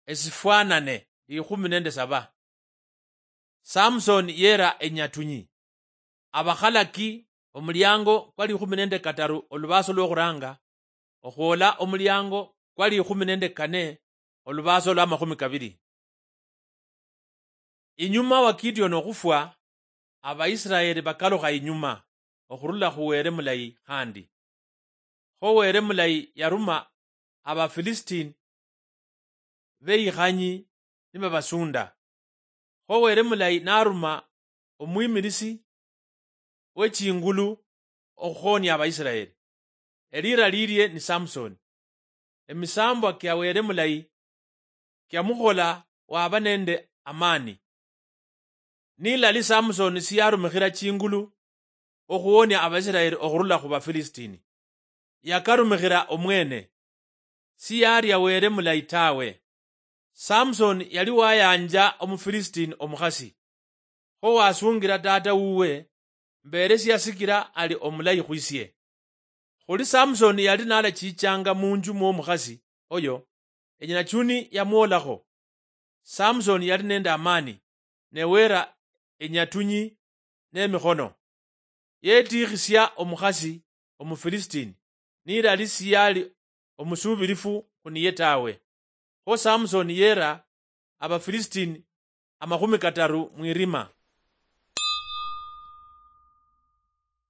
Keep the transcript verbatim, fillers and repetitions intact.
esifwanane likhumi nende saba. Samson yera enyatunyi. Abakhalaki, omuliango kwa likhumi nende kataru olubaso lwokhuranga, okhwola omuliango kwa likhumi nende kane olubaso lwa makhumi kabiri. Inyuma wa Gideon okhufwa, Abaisiraeli bakalukha inyuma okhurula khu Were Mulayi khandi. Kho Were Mulayi yaruma Abafilisitini beikhanyi nibabasunda. Kho Were Mulayi naruma omwimilisi wechingulu okhuhonia Abaisiraeli. Elira lilie ni Samsoni. Emisambwa kia Were Mulayi kiamukhola waba nende amani. Nilali Samsoni siyarumikhira chingulu okhuwonia Abaisiraeli okhurula khu Bafilisitini. Yakarumikhira omwene. Siyaria Were Mulayi tawe. Samsoni yali wayanja Omufilisitini omukhasi. Kho wasungira tata wuwe, mberesia sikira ali omulayi khwisie. Khuli Samsoni yali nalachichanga munju mwomukhasi oyo, enyinachuni yamwolakho. Samsoni yali nende amani, ne wera enyatunyi nemikhono. Yetikhisia omukhasi Omufilisitini, nilali siyali omusubirifu khuniye tawe. Kho Samsoni yera Abafilisitini amakhumi kataru mwirima.